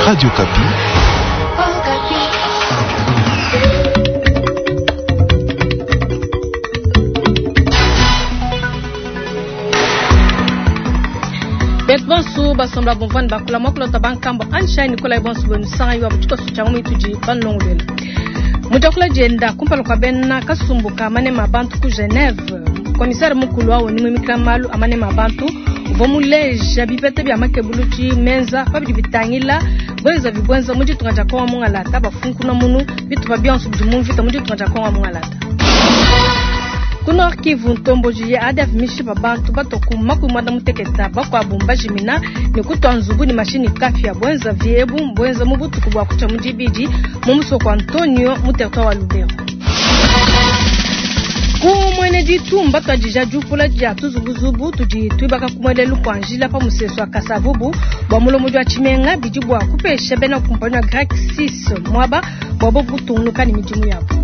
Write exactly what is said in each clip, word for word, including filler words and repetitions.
Radio Okapi. Betu bonso basomba bomvani bakula mwakulota bankambo ansha Nikolai bonso bwenu sanga yiwa butukosu cha mwitudi banlongolwela. Mujakula jenda kumpala kwa bena kasumbuka manema bantu ku Geneve. Komisari mukulu wawo ni mwimikila malu amanema bantu uvua muleja bipeta bya makebuluti menza pabidi bitangila bwenza bibwenza mu ditunga dia Kongo mungalata bafunkuna munu bitupa bionso bidi mu mvita mu ditunga dia Kongo mungalata. Ku Nord Kivu ntomboji ya A D F mishipa bantu batoku makumi mwanda muteketa bakuabu mbajimina ne kutua nzubu ne mashini kafya bwenza viebu bwenza mu butuku bua kucha mu dibidi mu musoko Antonio mu territoire wa Lubero. Ku mwene ditumba twadija diupula dia tuzubuzubu tudi tuibaka kumwelelu kwa njila pa musesu wa Kasavubu bua mulomo dia tshimenga bidi bua kupesha bena kumpanya wa Grec six mwaba bua bobu kutungunuka ne midimu yabo.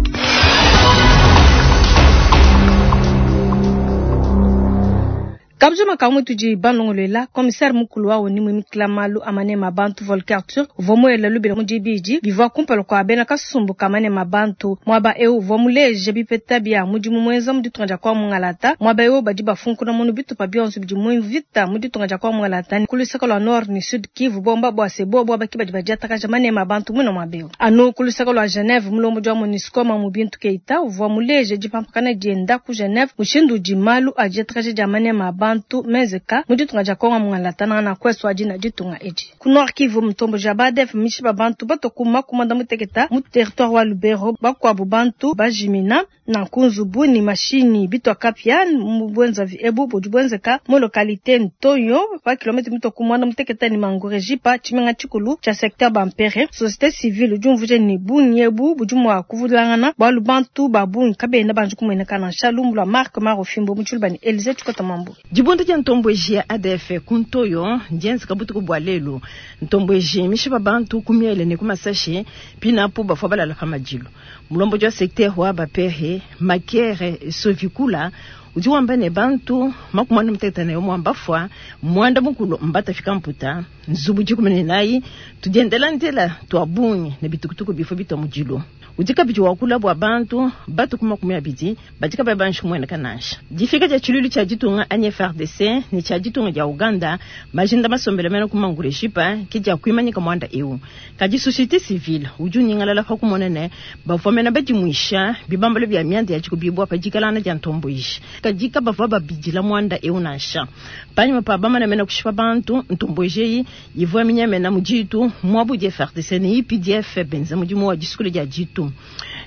Kabjuma kamwe tudi banlongolela commissaire mukulu wa oni mwimikila malu amanema bantu Volker Turk uvua muela lubila mu dibidi bivua kumpala kwa bena kasumbu kamanema bantu mwaba eu uvua muleje bipeta bya mudimu muenza mu ditunga dia kwa mungalata mwaba eu badi bafunkuna munu bitupa bionso bidi mu mvita mu ditunga dia kwa mungalata ku lusaka lwa Nord ni Sud Kivu bomba bua se bobo baki badi badiatakaja manema bantu muno mwaba eu anu ku lusaka lwa Geneve mulombo dia MONUSCO mu bintu keita uvua muleje dipampakana dienda ku Geneve mushindu udi malu adiatakaja dia manema bantu mezeka mu ditunga dia Kongo mungalata na kweso adina ditunga edi ku Nord Kivu mutombo ja Badef mishiba bantu batokuma kumanda muteketa mu territoire wa Lubero bakwabu bantu bajimina na kunzubu ni mashini bitwa kapya mu bwenza vi ebu budi bwenzeka mu localité Ntoyo pa kilomètre mitokumanda muteketa ni Mangurejipa tshimenga tshikulu cha secteur Bampere. Société civile jumvuje ni bunyebu budi mwa kuvulangana balu bantu babungi kabenda banju kumweneka na shalumbu la Marc Marofimbo mutshulubani Elise Tshikota Mambo. Dibunda dia ntomboji ya A D F ku Ntoyo ndienze kabutuku bua lelu ntomboji mishipa bantu kumiele ne kumasashe pinapo bafua balala pa madilu mulombo dia secteur wa Bapere Makere Sovikula udi wamba ne bantu makumi ane muteketa ne umue bafua muanda mukulu mbatafika mputa nzubu dikumi ne nayi tudiendela ndela tua bungi ne bitukutuku bifo bitwa mudilu udi kabidi wakula bua bantu batu ku makumi abidi badi kabayi banji kumueneka nansha. Difika dia tshilulu tshia ditunga A N F R D C ne tshia ditunga dia Uganda majinda masombele mene ku Mangurejipa ke dia kuimanyika muanda eu. Kadi société civile udi unyingalala pa kumona ne bavua mene badimuisha bibambalo bia mianda ya tshikubibua pa dikalana dia ntomboji. Kadi kabavua babidila muanda eu nansha. Panyima pa bamana mene kushipa bantu ntomboji eyi ivua minyamena mu ditu muabu dia F R D C ne I P D F benza mudimu wa disukula dia ditu.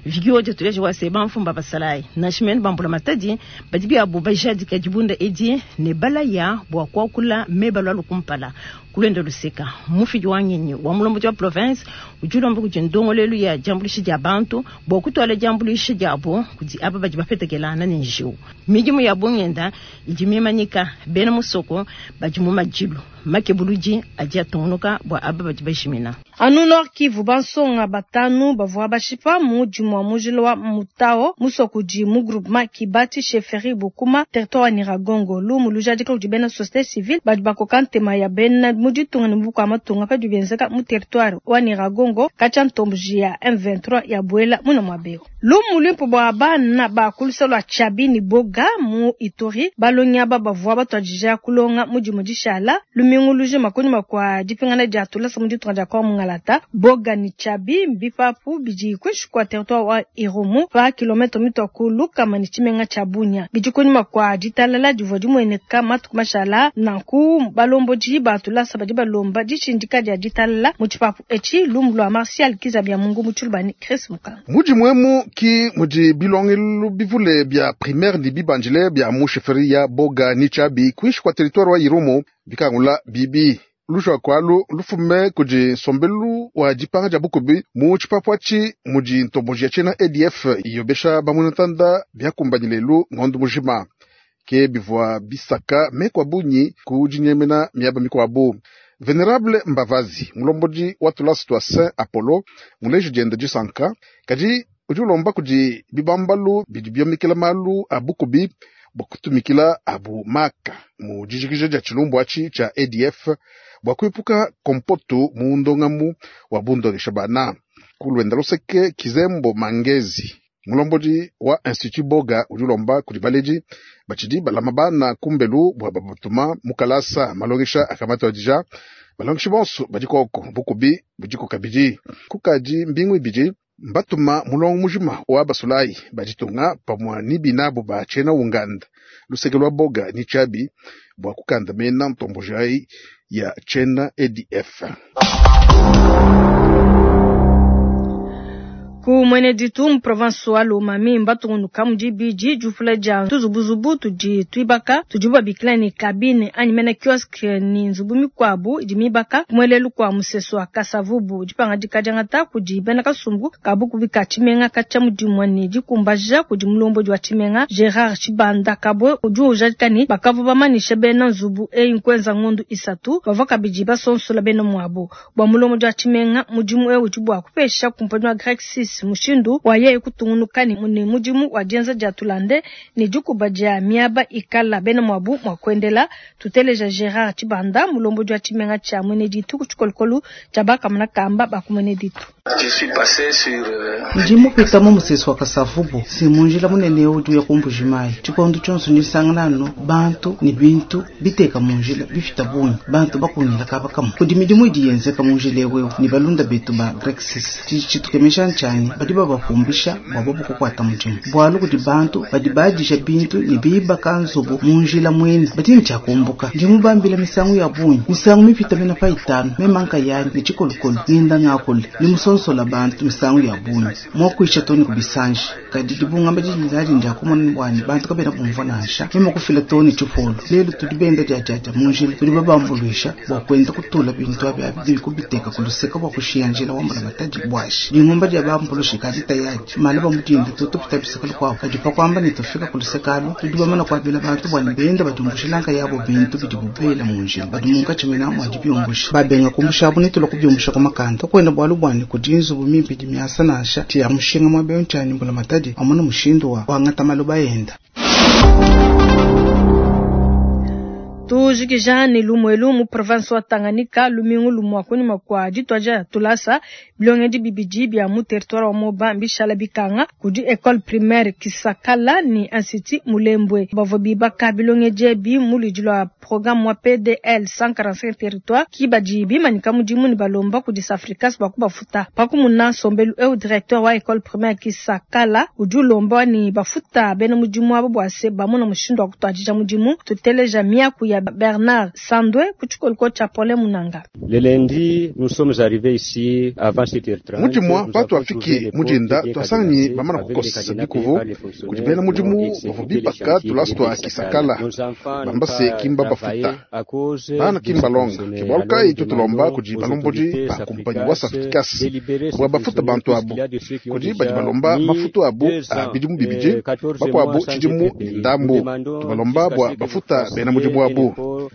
Vigio de tuleje wa seba mfumba basalai nashimen bambula matadi badi bia bo bajadika dibunda edi ne balaya bwa kwakula meba lwa lukumpala kulenda luseka mufidi wa ngenyi wa mulombo wa province ujulomba kuti ndongolelu ya jambulishi dia bantu bwa kutwala jambulishi diabo kuti aba badi bafetekelana ne njiwu midimu ya bongenda idi mimanyika bena musoko badi mu madilu makebuluji adi atungunuka bwa aba badi bashimina. Anu Nord Kivu bansonga batanu bavua bashipa mu dimua mujila wa Mutao musoko di mu groupement Kibati chefferie Bukuma territoire wa Nyiragongo lumu lujadika kudi bena société civile badi bakoka ntema ya bena mu ditunga ne bukua matunga padi benzeka mu territoire wa Nyiragongo katshia ntomboji ya M vingt-trois ya Bwela muna mwabeo. Lumu limpo bwa bana ba kulusa lwa Chabini Boga mu Ituri balonya ba bavua batuadija kulonga mu dimue dishala lumingu lujima kunyima kua dipingana dia tulasa mu ditunga dia Kongo mungalata Boga ni Chabi mbipapu bidi kuinshi kua territoire wa Irumu pa kilomètre mitwa ku Lukama ni tshimenga tsha Bunia bidi kunyima kua ditalala divua dimueneka matuku mashala nanku balomboji ba tulasa badi balomba dishindika dia ditalala mu tshipapu etshi lumu lwa Martial Kizabia Mungu mu tshilubani Chris Mukanga. Mudi muemu ki mudi bilongelu bivule bia primaire ni bibanjile bia mu chefferie ya Boga ni Chabi kuinshi kua territoire wa Irumu bikangula bibi lushwa kwalu lufume kudi nsombelu wa dipanga dia bukubi mu tshipapu atshi mudi ntomboji ya tshiena A D F iyobesha bamunatanda biakumbanyi lelu ngondo mujima ke bivua bisaka mekwa bunyi ku dinyemena miaba mikuabu. Venerable Mbavazi mulombodi wa tulasa tua Saint Apollo muleji dienda disanka kadi udi ulomba kudi bibambalu bidi biomikila malu a bukubi bua kutumikila abu maka mu dijikija dia tshilumbu atshi tshia A D F bua kuepuka kompoto mu ndongamu wa bundongesha bana. Kulwenda luseke Kizembo Mangezi mulombodi wa Institut Boga udi ulomba kudi baledi batshidi balama bana kumbelu bua babatuma mukalasa malongesha akamatwadija balongeshi bonso badi koko bukubi budiko kabidi kukadi mbingu ibidi mbatuma mulongo mujima wa basulayi baditunga pamwa ni binabo ba tshena unganda luseke lwa Boga ni Chabi bua kukanda mena ntombojai ya tshena A D F. Ku mwene ditu mu province wa Lomami mbatungunuka mu dibidi difula dia tuzubuzubu tudi tuibaka tudi babikila ne cabine anyi mena kiosque ni nzubu mikuabu idi mibaka kumwelelu kwa musesu wa Kasavubu dipangadika diangata kudi bena kasumbu kabukubi ka tshimenga katshia mudimu ne dikumbaja kudi mulombodi wa tshimenga Gerard Chibanda Kabwe udi ujadika ne bakavua bamanisha bena nzubu eyi nkuenza ngondu isatu bavua kabidi basonsola bena muabu bua mulombodi wa tshimenga mudimu ewu udi bua kupesha kumpanyi wa Grec six mushindu wa yeye kutungunuka ne mudimu wa dienza dia tulande ne dikuba dia miaba ikala bena muabu mua kuendela. Tuteleja Gerard Chibanda mulombodi wa tshimenga tshia mwene ditu ku tshikolokolo tshia bakamuna kamba bakumwene ditu. Ndi mupita mu musesu wa Kasavubu si munjila munene udi uya kumbujimayi tshikondo tshionso nisangana no bantu ni bintu biteka munjila bifita bungi bantu bakunyila kaba kamwe kudi midimu idi yenzeka munjila ewewe ni balunda betu ba Grec six tshitukemesha ntshani badi babapumbisha bua bobo kukwata mudimu bualu kudi bantu badi badisha bintu ni bibaka nzubu munjila mwene badi ntshakumbuka ndi mubambila misangu ya bungi misangu mipita mena pa itanu memanka yanyi ni tshikolokolo ngenda ngakule ni musonsola bantu misangu ya bungi mwakuisha toni kubisanje kadi dibungamba didinzali ndiakumona bwani bantu kabena bumva nansha mema kufila toni tshipolo lelo tudi benda diadiadia munjila tudi babambuluisha bua kuenda kutula bintu abi abi kubiteka kuluseka bua kushiya njila wambula matadi bwashi dingumba dia bambulushi kadi tayadi mala bamudinda tutupita biseka lukwabo kadi pakwamba nitufika kulusekalo tudi bamana kuabila bantu bwani benda badumbushilanka yabo bintu bidi bubela munjila badi munkatshimena mwadi byumbusha babenga kumbushabu nitula kubyumbusha kumakanda kwenda bwalu bwani kudi nzubu mimpi dimyasa nansha tia mushinga mwa bentshani mbula matadi amona mushindu wa wangata maloba yenda. Tujikija ne lumwelu mu province wa Tanganyika lumingu lumwa kunyuma kwa ditwaja tulasa bilongedi bibidi bya mu territoire wa Moba mbishala bikanga kudi école primaire Kisakala ni institut Mulembwe bavua bibaka bilongedi bi mu ludi lwa programme wa P D L cent quarante-cinq territoire kibadi bimanyika mudimu ni balomba kudi Safricas bakubafuta pakumuna sombelu eu directeur wa école primaire Kisakala udi ulomba ni bafuta bena mudimu abo bwase bamona mushindu wa kutwadija mudimu tuteleja miaku ya Bernard Sandwe kuchikoloko cha Pole Munanga. Le lundi, nous sommes arrivés ici avant sept heures trente. Mujimwa patu afiki mujinda twasanyi bamana kukosa bikuvu kujibena mujimu bavubipaka tulastwa Kisakala bambase kimba bafuta bana kimba longa kibaluka itutulomba kuji balombodi ba kumpanyi wa Safricas bwa bafuta bantu abu kuji badi balomba mafutu abu abidimu bibiji bakwabu chidimu ndambu tubalomba bwa bafuta bena mujimu abu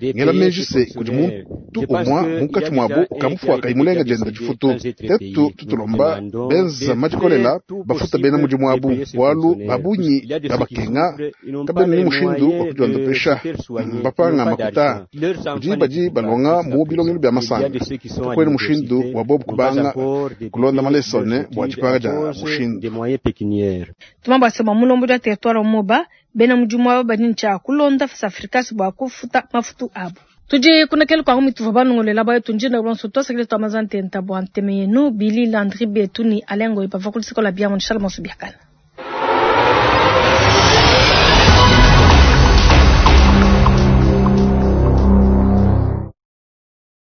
ngela menjise kudi muntu umwa munkatshi mwabo ukamufuaka imulenga jenda difutu tetu tutulomba benza madikolela bafuta bena mudimu abu walu babunyi babakenga kabena ni mushindu wa kudiondopesha mbapanga makuta kudi badi balonga mu bilongelo bya masanga tukwene mushindu wa bobu kubanga kulonda malesone bua dipanga dia mushindu tumamba sema mulombo dia territoire Moba bena mudimu abo badi ntsha kulonda Safricas bua kufuta mafutu abo. Tudi kuna kele kwa mituva banongolela bayo tunjinda bonso twasakile twamazante ntabwa nteme yenu Billy Landry Betu ni Alengo ipava kulisikola bia mon Charles Monsubiakana.